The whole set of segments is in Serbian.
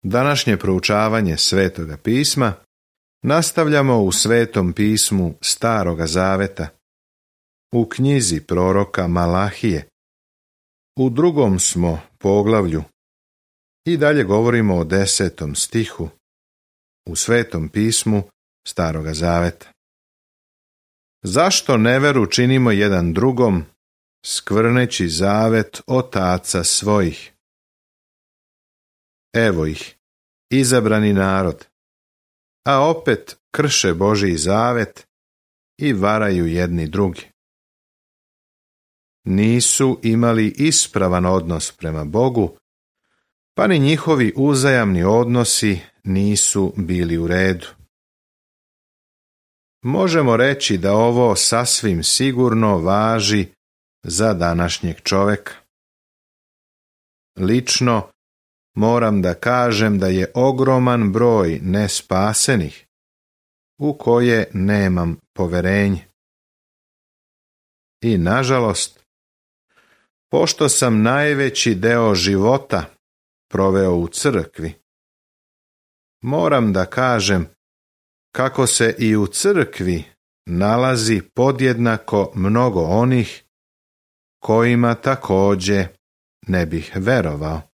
Današnje proučavanje Svetoga pisma nastavljamo u Svetom pismu Staroga zaveta, u knjizi proroka Malahije. U 2. smo poglavlju i dalje govorimo o 10. stihu u Svetom pismu Staroga zaveta. Zašto neveru činimo jedan drugom, skvrneći zavet otaca svojih? Evo ih, izabrani narod, a opet krše Božji zavet i varaju jedni drugi. Nisu imali ispravan odnos prema Bogu, pa ni njihovi uzajamni odnosi nisu bili u redu. Možemo reći da ovo sasvim sigurno važi za današnjeg čoveka. Lično moram da kažem da je ogroman broj nespasenih u koje nemam poverenje. I nažalost, pošto sam najveći deo života proveo u crkvi, moram da kažem kako se i u crkvi nalazi podjednako mnogo onih kojima također ne bih verovao.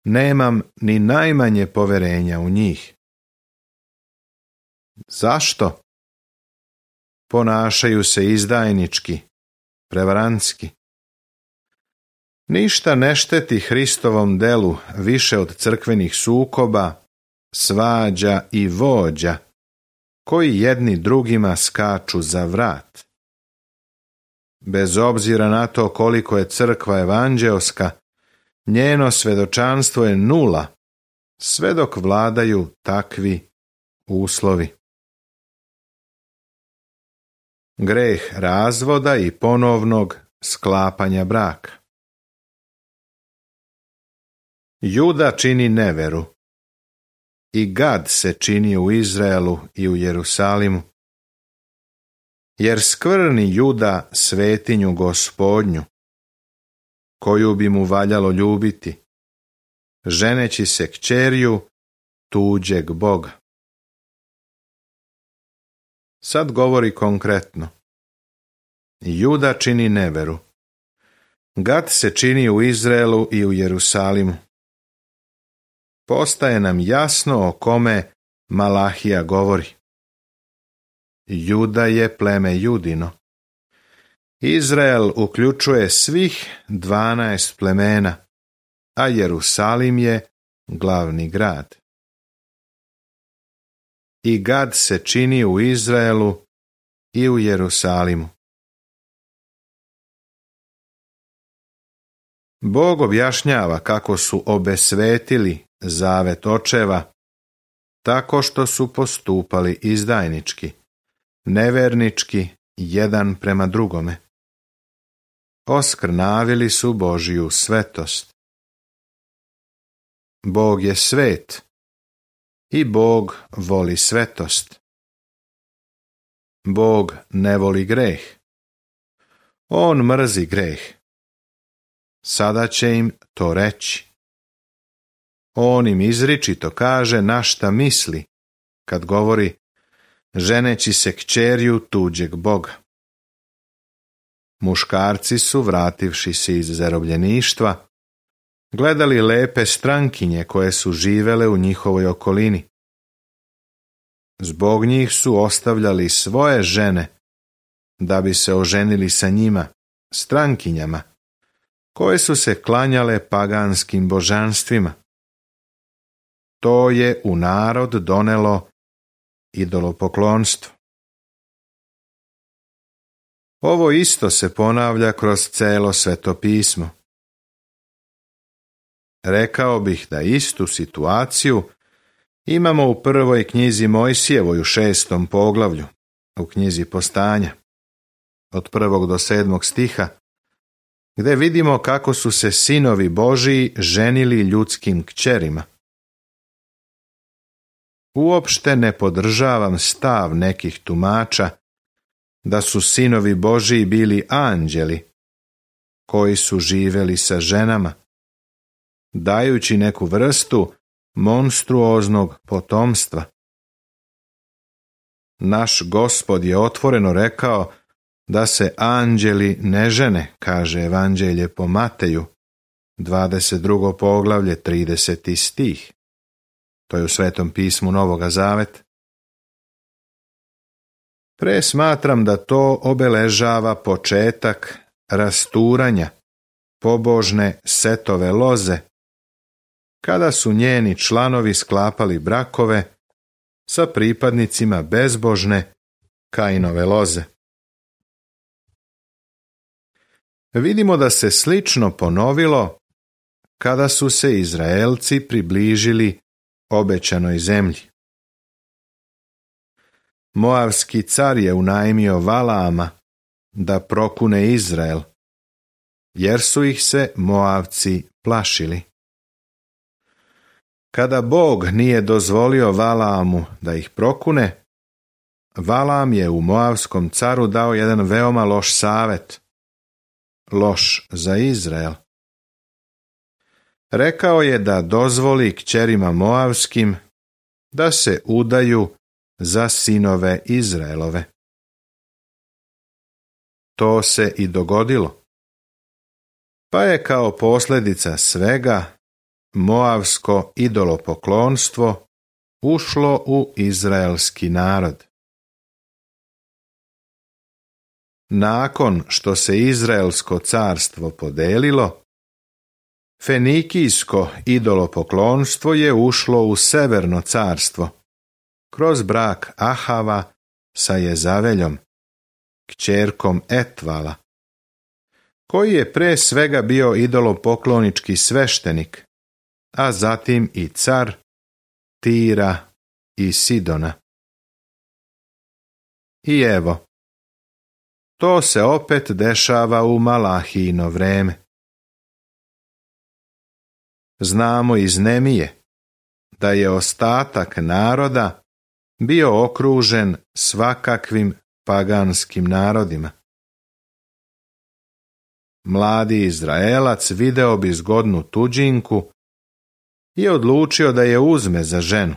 Nemam ni najmanje poverenja u njih. Zašto? Ponašaju se izdajnički, prevarantski. Ništa ne šteti Hristovom delu više od crkvenih sukoba, svađa i vođa, koji jedni drugima skaču za vrat. Bez obzira na to koliko je crkva evanđeoska, njeno svedočanstvo je nula, sve dok vladaju takvi uslovi. Greh razvoda i ponovnog sklapanja braka. Juda čini neveru, i gad se čini u Izraelu i u Jerusalimu, jer skvrni Juda svetinju Gospodnju, koju bi mu valjalo ljubiti, ženeći se kćerju tuđeg Boga. Sad govori konkretno. Juda čini neveru. Gad se čini u Izraelu i u Jerusalimu. Postaje nam jasno o kome Malahija govori. Juda je pleme Judino. Izrael uključuje svih 12 plemena, a Jerusalim je glavni grad. I Gad se čini u Izraelu i u Jerusalimu. Bog objašnjava kako su obesvetili zavet očeva tako što su postupali izdajnički, nevernički jedan prema drugome. Oskrnavili su Božju svetost. Bog je svet i Bog voli svetost. Bog ne voli greh. On mrzi greh. Sada će im to reći. On im izričito kaže na šta misli kad govori ženeći se kćerju tuđeg Boga. Muškarci su, vrativši se iz zarobljeništva, gledali lepe strankinje koje su živele u njihovoj okolini. Zbog njih su ostavljali svoje žene da bi se oženili sa njima, strankinjama, koje su se klanjale paganskim božanstvima. To je u narod donelo idolopoklonstvo. Ovo isto se ponavlja kroz celo Sveto pismo. Rekao bih da istu situaciju imamo u prvoj knjizi Mojsijevoj u 6. poglavlju, u knjizi Postanja, od 1. do 7. stiha, gdje vidimo kako su se sinovi Božiji ženili ljudskim kćerima. Uopšte ne podržavam stav nekih tumača da su sinovi Božiji bili anđeli koji su živjeli sa ženama, dajući neku vrstu monstruoznog potomstva. Naš Gospod je otvoreno rekao da se anđeli ne žene, kaže Evanđelje po Mateju, 22. poglavlje, 30. stih. To je u Svetom pismu Novoga Zaveta. Smatram da to obeležava početak rasturanja pobožne Setove loze, kada su njeni članovi sklapali brakove sa pripadnicima bezbožne Kainove loze. Vidimo da se slično ponovilo kada su se Izraelci približili obećanoj zemlji. Moavski car je unajmio Valaama da prokune Izrael, jer su ih se Moavci plašili. Kada Bog nije dozvolio Valaamu da ih prokune, Valaam je u Moavskom caru dao jedan veoma loš savjet, loš za Izrael. Rekao je da dozvoli kćerima Moavskim da se udaju za sinove Izraelove. To se i dogodilo. Pa je kao posljedica svega moavsko idolopoklonstvo ušlo u izraelski narod. Nakon što se Izraelsko carstvo podelilo, Fenikijsko idolopoklonstvo je ušlo u Severno carstvo, kroz brak Ahava sa Jezaveljom, kćerkom Etvala, koji je pre svega bio idolopoklonički sveštenik, a zatim i car Tira i Sidona. I evo, to se opet dešava u Malahijino vreme. Znamo iz Nemije da je ostatak naroda bio okružen svakakvim paganskim narodima. Mladi Izraelac video bi zgodnu tuđinku i odlučio da je uzme za ženu.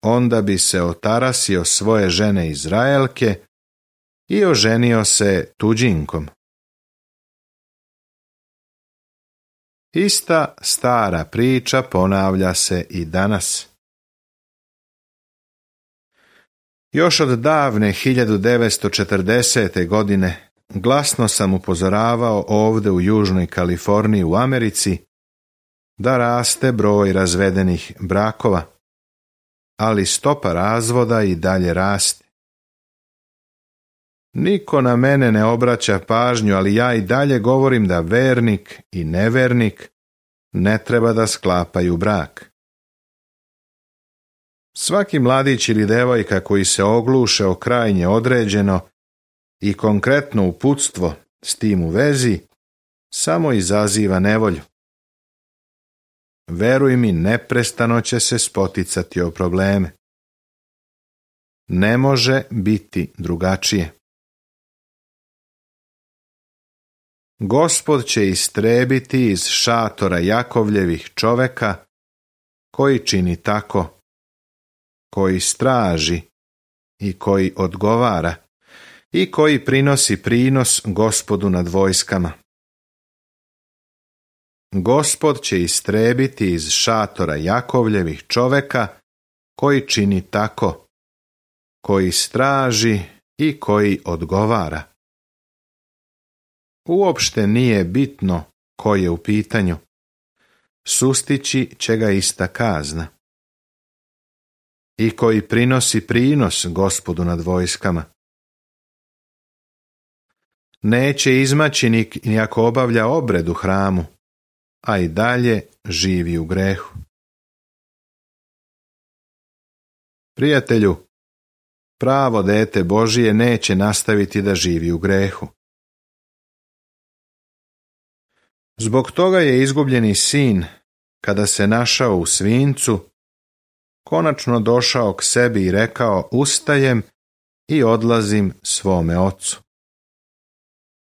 Onda bi se otarasio svoje žene Izraelke i oženio se tuđinkom. Ista stara priča ponavlja se i danas. Još od davne 1940. godine glasno sam upozoravao ovdje u Južnoj Kaliforniji u Americi da raste broj razvedenih brakova, ali stopa razvoda i dalje raste. Niko na mene ne obraća pažnju, ali ja i dalje govorim da vernik i nevernik ne treba da sklapaju brak. Svaki mladić ili devojka koji se ogluše o krajnje određeno i konkretno uputstvo s tim u vezi samo izaziva nevolju. Veruj mi, neprestano će se spoticati o probleme. Ne može biti drugačije. Gospod će istrebiti iz šatora Jakovljevih čoveka koji čini tako, koji straži i koji odgovara i koji prinosi prinos Gospodu nad vojskama. Gospod će istrebiti iz šatora Jakovljevih čoveka koji čini tako, koji straži i koji odgovara. Uopšte nije bitno ko je u pitanju. Sustići će ga ista kazna. I koji prinosi prinos Gospodu nad vojskama. Neće izmaći ni ako obavlja obred u hramu, a i dalje živi u grehu. Prijatelju, pravo dete Božije neće nastaviti da živi u grehu. Zbog toga je izgubljeni sin, kada se našao u svinjcu, konačno došao k sebi i rekao: ustajem i odlazim svome ocu.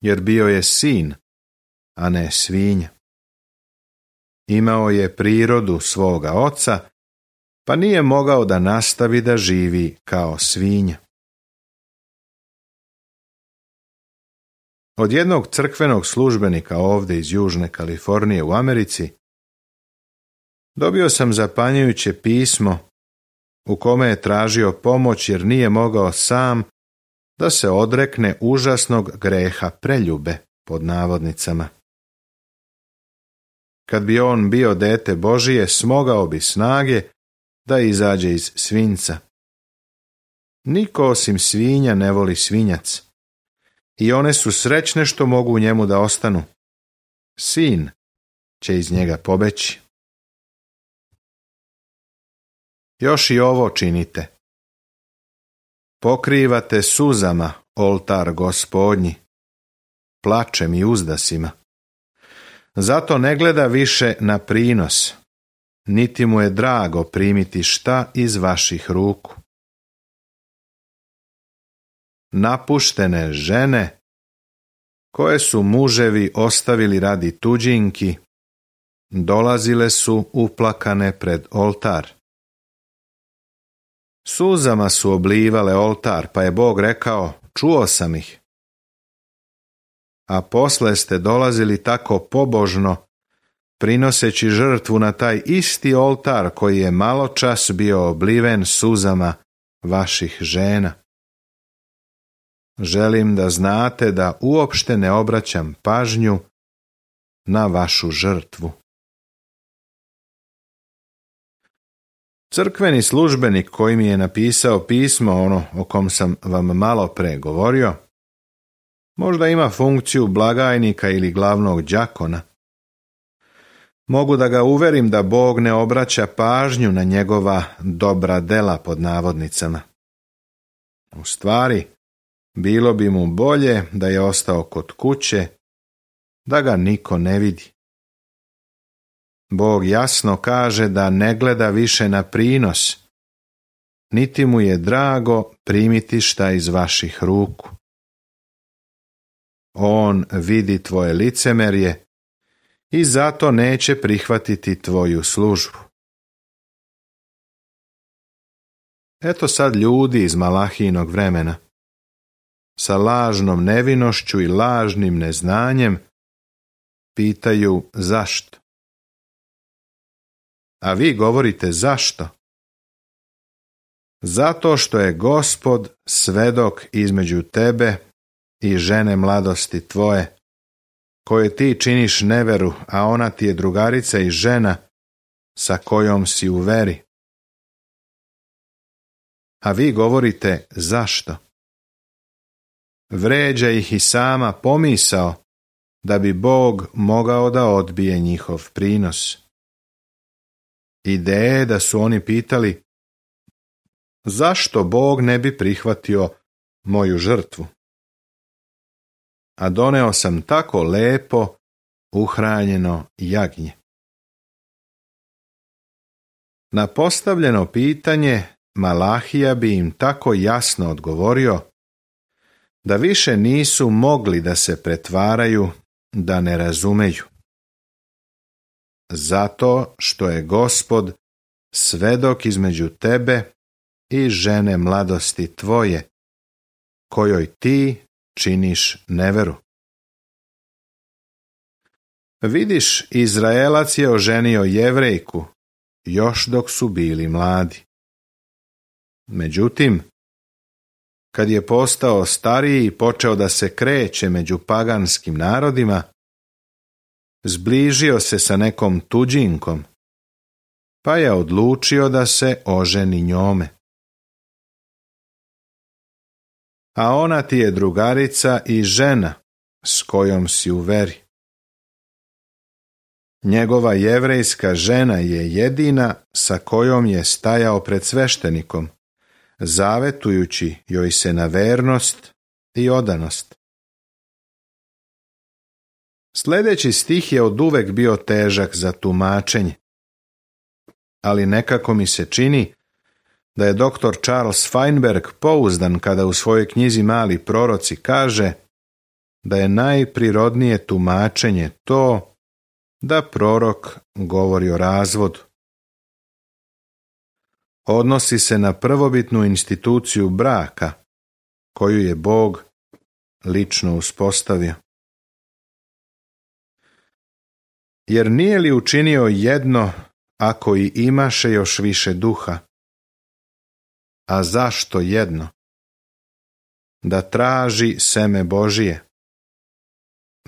Jer bio je sin, a ne svinja. imao je prirodu svoga oca, pa nije mogao da nastavi da živi kao svinja. Od jednog crkvenog službenika ovdje iz Južne Kalifornije u Americi dobio sam zapanjujuće pismo u kome je tražio pomoć jer nije mogao sam da se odrekne užasnog greha preljube, pod navodnicama. Kad bi on bio dete Božije, smogao bi snage da izađe iz svinjca. Niko osim svinja ne voli svinjac i one su srećne što mogu u njemu da ostanu. Sin će iz njega pobeći. Još i ovo činite. Pokrivate suzama oltar Gospodnji, plačem i uzdasima. Zato ne gleda više na prinos, niti mu je drago primiti šta iz vaših ruku. Napuštene žene, koje su muževi ostavili radi tuđinki, dolazile su uplakane pred oltar. Suzama su oblivale oltar, pa je Bog rekao, čuo sam ih. A posle ste dolazili tako pobožno, prinoseći žrtvu na taj isti oltar koji je maločas bio obliven suzama vaših žena. Želim da znate da uopšte ne obraćam pažnju na vašu žrtvu. Crkveni službenik koji mi je napisao pismo, ono o kom sam vam malo pre govorio, možda ima funkciju blagajnika ili glavnog đakona. Mogu da ga uverim da Bog ne obraća pažnju na njegova dobra dela, pod navodnicama. U stvari, bilo bi mu bolje da je ostao kod kuće, da ga niko ne vidi. Bog jasno kaže da ne gleda više na prinos, niti mu je drago primiti šta iz vaših ruku. On vidi tvoje licemerje i zato neće prihvatiti tvoju službu. Eto sad ljudi iz Malahijinog vremena, sa lažnom nevinošću i lažnim neznanjem, pitaju zašto. A vi govorite zašto? Zato što je Gospod svedok između tebe i žene mladosti tvoje, koje ti činiš neveru, a ona ti je drugarica i žena sa kojom si u veri. A vi govorite zašto? Vređa ih i sama pomisao da bi Bog mogao da odbije njihov prinos. Ideje da su oni pitali zašto Bog ne bi prihvatio moju žrtvu. A doneo sam tako lepo uhranjeno jagnje. Na postavljeno pitanje Malahija bi im tako jasno odgovorio da više nisu mogli da se pretvaraju da ne razumeju. Zato što je Gospod svedok između tebe i žene mladosti tvoje, kojoj ti činiš neveru. Vidiš, Izraelac je oženio Jevrejku, još dok su bili mladi. Međutim, kad je postao stariji i počeo da se kreće među paganskim narodima, zbližio se sa nekom tuđinkom, pa je odlučio da se oženi njome. A ona ti je drugarica i žena s kojom si u veri. Njegova jevrejska žena je jedina sa kojom je stajao pred sveštenikom, zavetujući joj se na vernost i odanost. Sljedeći stih je oduvek bio težak za tumačenje, ali nekako mi se čini da je dr. Charles Feinberg pouzdan kada u svojoj knjizi Mali proroci kaže da je najprirodnije tumačenje to da prorok govori o razvodu. Odnosi se na prvobitnu instituciju braka, koju je Bog lično uspostavio. Jer nije li učinio jedno, ako i imaše još više duha? A zašto jedno? Da traži seme Božije.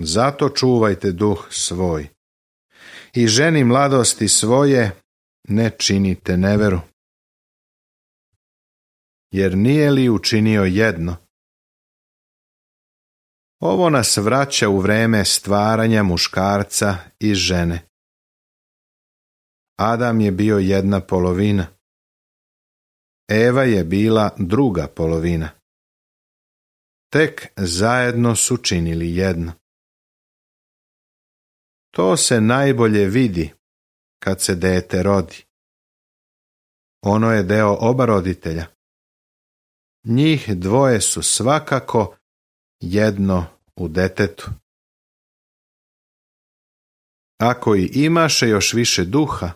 Zato čuvajte duh svoj. I ženi mladosti svoje ne činite neveru. Jer nije li učinio jedno? Ovo nas vraća u vreme stvaranja muškarca i žene. Adam je bio jedna polovina. Eva je bila druga polovina. Tek zajedno su činili jedno. To se najbolje vidi kad se dete rodi. Ono je deo oba roditelja. Njih dvoje su svakako jedno u detetu. Ako i imaše još više duha,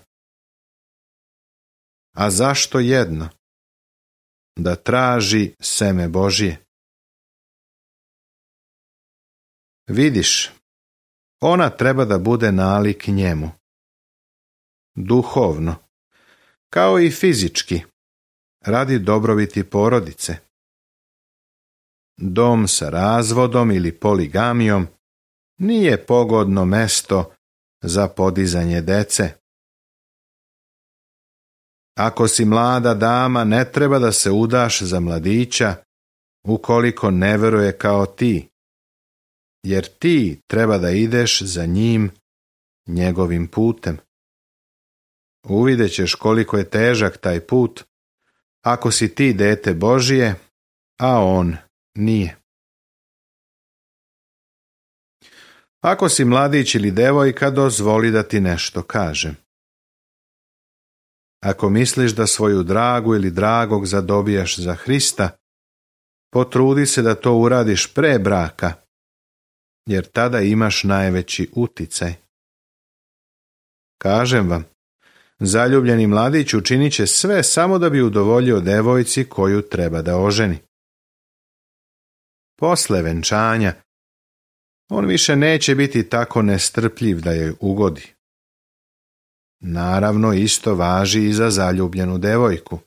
a zašto jedno? Da traži seme Božije. Vidiš, ona treba da bude nalik njemu. Duhovno, kao i fizički, radi dobrobiti porodice. Dom sa razvodom ili poligamijom nije pogodno mesto za podizanje dece. Ako si mlada dama, ne treba da se udaš za mladića ukoliko ne veruje kao ti, jer ti treba da ideš za njim njegovim putem. Uvidjet ćeš koliko je težak taj put ako si ti dete Božije, a on nije. Ako si mladić ili devojka, dozvoli da ti nešto kažem. Ako misliš da svoju dragu ili dragog zadobijaš za Hrista, potrudi se da to uradiš pre braka, jer tada imaš najveći uticaj. Kažem vam, zaljubljeni mladić učinit će sve samo da bi udovoljio devojci koju treba da oženi. Posle venčanja, on više neće biti tako nestrpljiv da joj ugodi. Naravno, isto važi i za zaljubljenu devojku.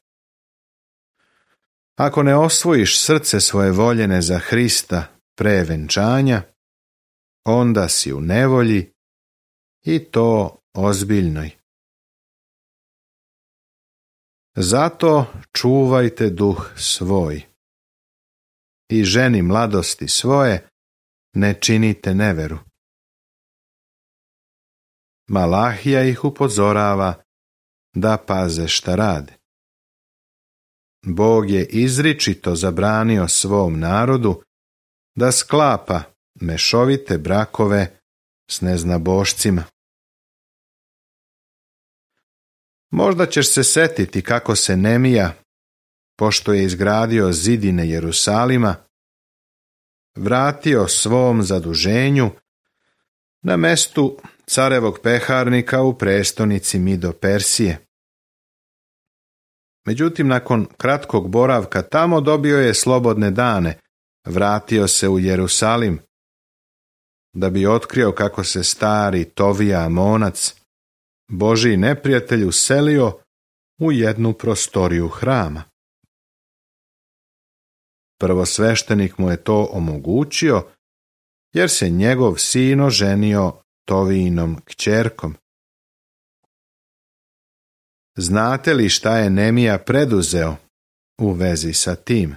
Ako ne osvojiš srce svoje voljene za Hrista pre venčanja, onda si u nevolji i to ozbiljnoj. Zato čuvajte duh svoj i ženi mladosti svoje ne činite neveru. Malahija ih upozorava da paze šta rade. Bog je izričito zabranio svom narodu da sklapa mešovite brakove s neznabošcima. Možda ćeš se setiti kako se Nemija, pošto je izgradio zidine Jerusalima, vratio svom zaduženju na mestu carevog peharnika u prestonici Mido Persije. Međutim, nakon kratkog boravka tamo dobio je slobodne dane, vratio se u Jerusalim, da bi otkrio kako se stari Tovija Amonac, Božji neprijatelj, uselio u jednu prostoriju hrama. Prvosveštenik mu je to omogućio, jer se njegov sin oženio Tovijinom kćerkom. Znate li šta je Nemija preduzeo u vezi sa tim?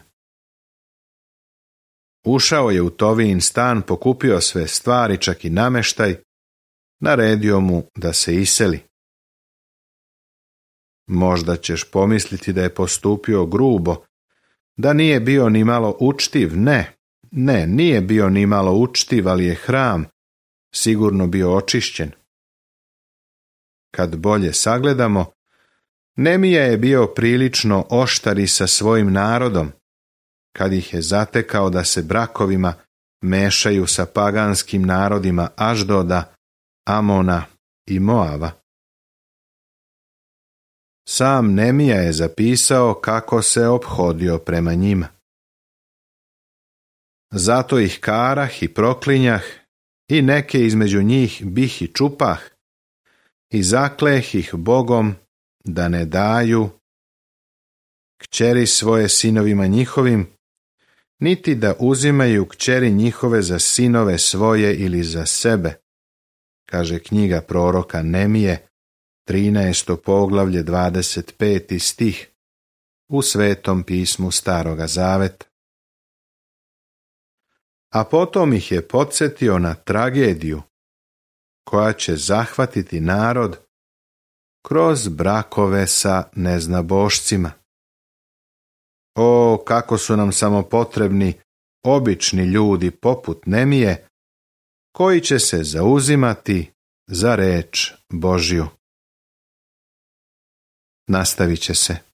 Ušao je u Tovijin stan, pokupio sve stvari, čak i nameštaj, naredio mu da se iseli. Možda ćeš pomisliti da je postupio grubo, da nije bio ni malo učtiv. Ne, nije bio ni malo učtiv, ali je hram sigurno bio očišćen. Kad bolje sagledamo, Nemija je bio prilično oštar i sa svojim narodom, kad ih je zatekao da se brakovima mešaju sa paganskim narodima Aždoda, Amona i Moava. Sam Nemija je zapisao kako se ophodio prema njima. Zato ih karah i proklinjah, i neke između njih bih i čupah, i zakleh ih Bogom da ne daju kćeri svoje sinovima njihovim, niti da uzimaju kćeri njihove za sinove svoje ili za sebe, kaže knjiga proroka Nemije, 13. poglavlje, 25. stih, u Svetom pismu Staroga Zaveta. A potom ih je podsjetio na tragediju koja će zahvatiti narod kroz brakove sa neznabošcima. O, kako su nam samo potrebni obični ljudi poput Nemije, koji će se zauzimati za reč Božju. Nastavit će se.